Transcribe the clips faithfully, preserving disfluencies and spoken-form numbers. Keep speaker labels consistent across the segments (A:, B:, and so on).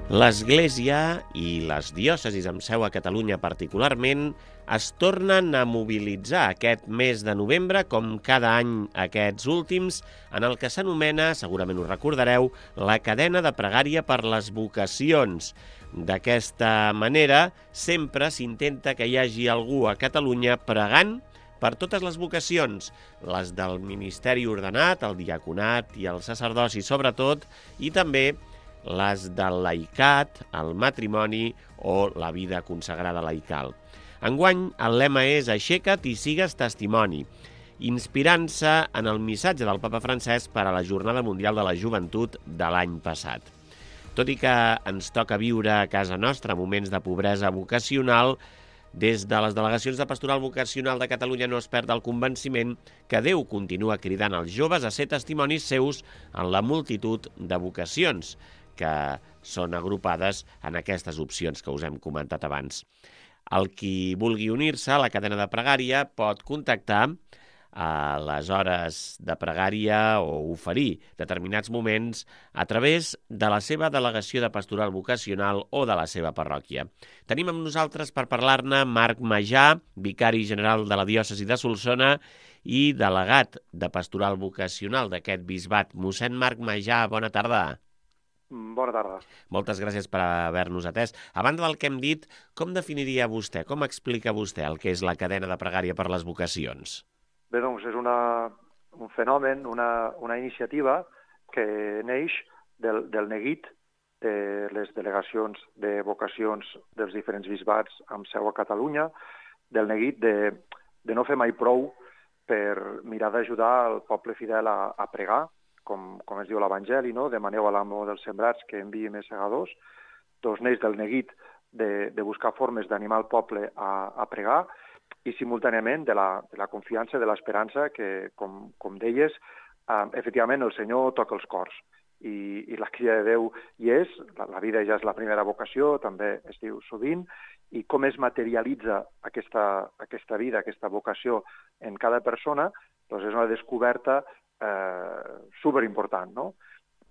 A: L'Església i les diòcesis amb seu a Catalunya particularment es tornen a mobilitzar aquest mes de novembre, com cada any aquests últims, en el que s'anomena, segurament ho recordareu, la cadena de pregària per les vocacions. D'aquesta manera, sempre s'intenta que hi hagi algú a Catalunya pregant per totes les vocacions, les del ministeri ordenat, el diaconat i el sacerdoci sobretot, i també les del laicat, el matrimoni o la vida consagrada laical. Enguany, el lema és Aixeca't i sigues testimoni, inspirant-se en el missatge del Papa Francesc per a la Jornada Mundial de la Joventut de l'any passat. Tot i que ens toca viure a casa nostra moments de pobresa vocacional, des de les delegacions de Pastoral Vocacional de Catalunya no es perd el convenciment que Déu continua cridant als joves a ser testimonis seus en la multitud de vocacions que són agrupades en aquestes opcions que us hem comentat abans. El qui vulgui unir-se a la cadena de pregària pot contactar a les hores de pregària o oferir determinats moments a través de la seva delegació de pastoral vocacional o de la seva parròquia. Tenim amb nosaltres per parlar-ne Marc Majà, vicari general de la diòcesi de Solsona i delegat de pastoral vocacional d'aquest bisbat. Mossèn Marc Majà, bona tarda.
B: Bona tarda.
A: Moltes gràcies per haver-nos atès. A banda del que hem dit, com definiria vostè, com explica vostè el que és la cadena de pregària per les vocacions?
B: Bé, doncs és una, un fenomen, una, una iniciativa que neix del, del neguit de les delegacions de vocacions dels diferents bisbats amb seu a Catalunya, del neguit de, de no fer mai prou per mirar d'ajudar el poble fidel a, a pregar, com, com es diu l'Evangeli, no? Demaneu a l'amo dels sembrats que enviï més segadors. Doncs neix del neguit de, de buscar formes d'animar el poble a, a pregar i simultàniament de la, de la confiança, de l'esperança que, com, com deies, eh, efectivament el Senyor toca els cors i, i la crida de Déu hi és, la, la vida ja és la primera vocació, també es diu sovint, i com es materialitza aquesta, aquesta vida, aquesta vocació en cada persona, doncs és una descoberta eh, superimportant, no?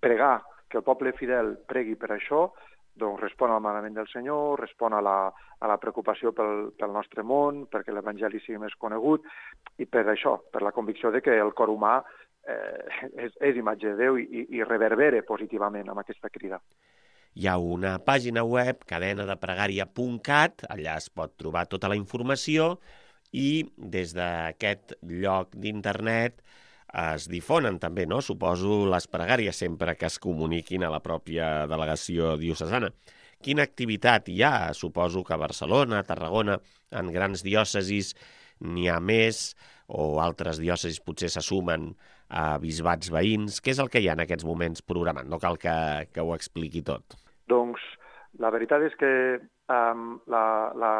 B: Pregar, que el poble fidel pregui per això, doncs respon al manament del Senyor, respon a la, a la preocupació pel, pel nostre món, perquè l'Evangeli sigui més conegut, i per això, per la convicció de que el cor humà eh, és, és imatge de Déu i, i reverbera positivament amb aquesta crida.
A: Hi ha una pàgina web, cadena de pregària punt cat, allà es pot trobar tota la informació i des d'aquest lloc d'internet es difonen també, no? Suposo, les pregàries sempre que es comuniquin a la pròpia delegació diocesana. Quina activitat hi ha? Suposo que a Barcelona, a Tarragona, en grans diòcesis n'hi ha més, o altres diòcesis potser se sumen a bisbats veïns. Què és el que hi ha en aquests moments programant? No cal que, que ho expliqui tot.
B: Doncs la veritat és que um, la, la,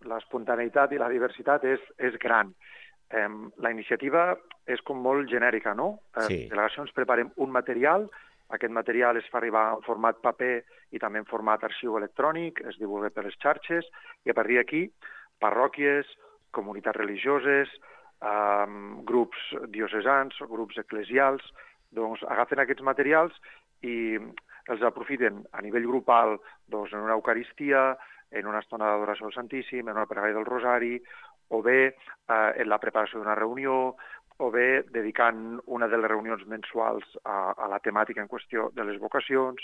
B: l'espontaneïtat i la diversitat és, és gran. Um, la iniciativa és com molt genèrica, no? Les
A: sí.
B: delegacions preparem un material, aquest material es fa arribar en format paper i també en format arxiu electrònic, es divulga per les xarxes, i a partir d'aquí, parròquies, comunitats religioses, um, grups diocesans, grups eclesials, doncs agafen aquests materials i els aprofiten a nivell grupal doncs, en una eucaristia, en una estona d'adoració al Santíssim, en una pregària del Rosari, o bé eh, en la preparació d'una reunió, o bé dedicant una de les reunions mensuals a, a la temàtica en qüestió de les vocacions,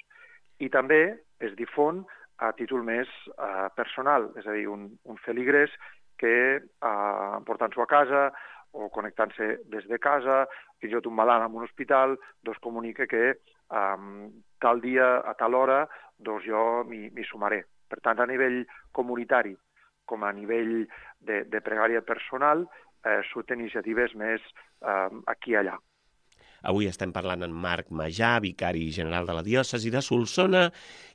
B: i també es difon a títol més eh, personal, és a dir, un, un feligrès que eh, portant-s'ho a casa o connectant-se des de casa, fins i tot un malalt en un hospital, doncs comunica que eh, tal dia, a tal hora, doncs jo m'hi sumaré. Per tant, a nivell comunitari, com a nivell de, de pregària personal, eh, surten iniciatives més eh, aquí i allà.
A: Avui estem parlant amb Marc Majà, vicari general de la diòcesi de Solsona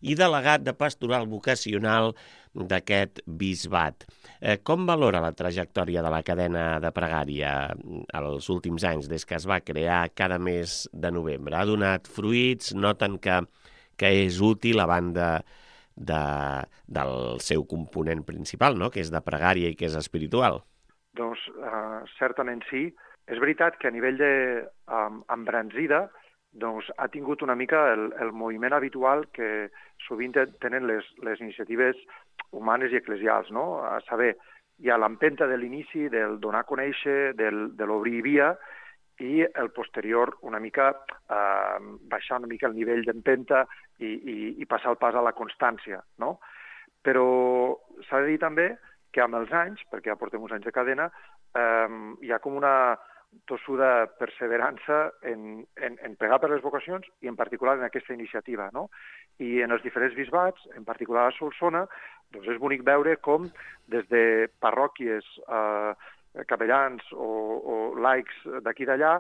A: i delegat de pastoral vocacional d'aquest bisbat. Eh, com valora la trajectòria de la cadena de pregària els últims anys, des que es va crear cada mes de novembre? Ha donat fruits? Noten que, que és útil a banda de, del seu component principal, no? Que és de pregària i que és espiritual?
B: Doncs eh, certament sí. És veritat que a nivell d'embranzida doncs ha tingut una mica el, el moviment habitual que sovint tenen les, les iniciatives humanes i eclesials, no? A saber, hi ha l'empenta de l'inici, del donar a conèixer, del, de l'obrir via, i el posterior una mica eh, baixar una mica el nivell d'empenta i, i, i passar el pas a la constància, no? Però s'ha de dir també que amb els anys, perquè ja portem uns anys de cadena, eh, hi ha com una tossuda perseverança en, en, en pregar per les vocacions i en particular en aquesta iniciativa, no? I en els diferents bisbats, en particular a Solsona, doncs és bonic veure com des de parròquies, eh, capellans o, o laics d'aquí i d'allà,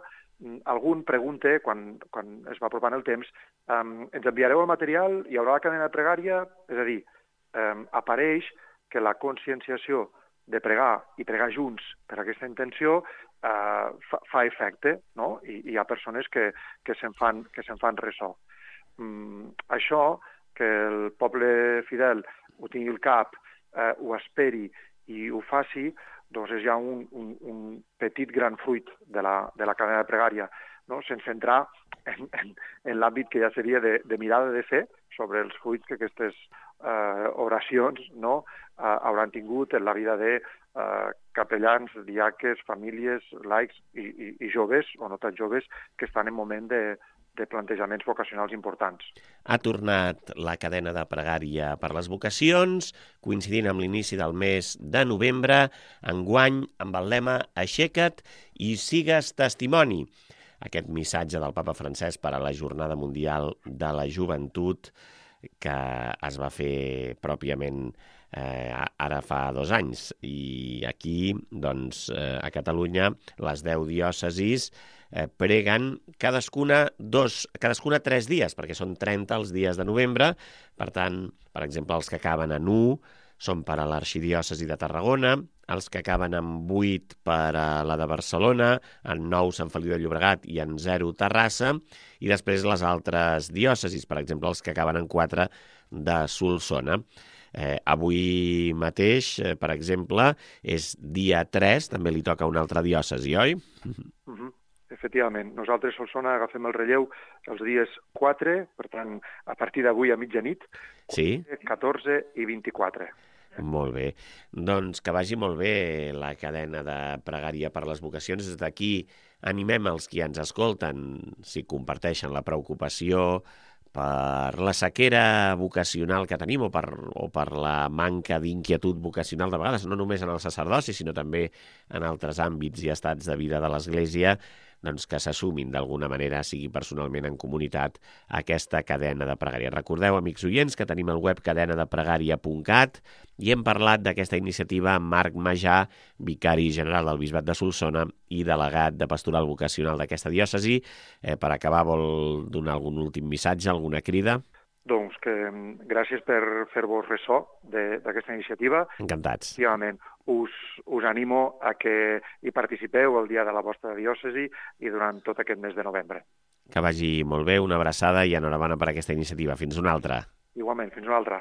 B: algun pregunta, quan, quan es va apropant el temps, eh, ens enviareu el material, hi haurà la cadena pregària, és a dir, eh, apareix que la conscienciació de pregar i pregar junts per aquesta intenció eh, fa, fa efecte, no? I, i hi ha persones que, que se'n fan, que se'n fan ressò. Mm, això, que el poble fidel ho tingui al cap, eh, ho esperi i ho faci, doncs és ja un, un, un petit gran fruit de la, de la cadena de pregària, no? Sense entrar en, en, en l'àmbit que ja seria de, de mirada de fe sobre els fruits que aquestes eh, oracions, no, eh, hauran tingut en la vida de eh, capellans, diaques, famílies, laics i, i, i joves, o no tan joves, que estan en moment de, de plantejaments vocacionals importants.
A: Ha tornat la cadena de pregària per les vocacions, coincidint amb l'inici del mes de novembre, enguany amb el lema Aixeca't i sigues testimoni. Aquest missatge del papa Francesc per a la Jornada Mundial de la Joventut que es va fer pròpiament eh, ara fa dos anys. I aquí, doncs, eh, a Catalunya, les deu diòcesis eh, preguen cadascuna, dos, cadascuna tres dies, perquè són trenta els dies de novembre. Per tant, per exemple, els que acaben en u són per a l'arxidiòcesi de Tarragona, els que acaben amb vuit per a la de Barcelona, en nou Sant Feliu de Llobregat i en zero Terrassa, i després les altres diòcesis, per exemple, els que acaben en quatre de Solsona. Eh, avui mateix, eh, per exemple, és dia tres, també li toca una altra diòcesi, oi?
B: Uh-huh. Efectivament. Nosaltres, Solsona, agafem el relleu els dies quatre, per tant, a partir d'avui a mitjanit,
A: sí?
B: catorze i vint-i-quatre.
A: Molt bé. Doncs que vagi molt bé la cadena de pregària per les vocacions. Des d'aquí animem els qui ens escolten, si comparteixen la preocupació per la sequera vocacional que tenim o per, o per la manca d'inquietud vocacional de vegades, no només en el sacerdoci, sinó també en altres àmbits i estats de vida de l'Església, doncs que s'assumin d'alguna manera, sigui personalment en comunitat, aquesta cadena de pregària. Recordeu, amics oients, que tenim el web cadena de pregària punt cat i hem parlat d'aquesta iniciativa amb Marc Majà, vicari general del Bisbat de Solsona i delegat de pastoral vocacional d'aquesta diòcesi. Eh, per acabar, vol donar algun últim missatge, alguna crida?
B: Doncs que gràcies per fer-vos ressò d'aquesta iniciativa.
A: Encantats.
B: Efectivament, us, us animo a que hi participeu el dia de la vostra diòcesi i durant tot aquest mes de novembre.
A: Que vagi molt bé, una abraçada i enhorabona per aquesta iniciativa. Fins una altra.
B: Igualment, fins una altra.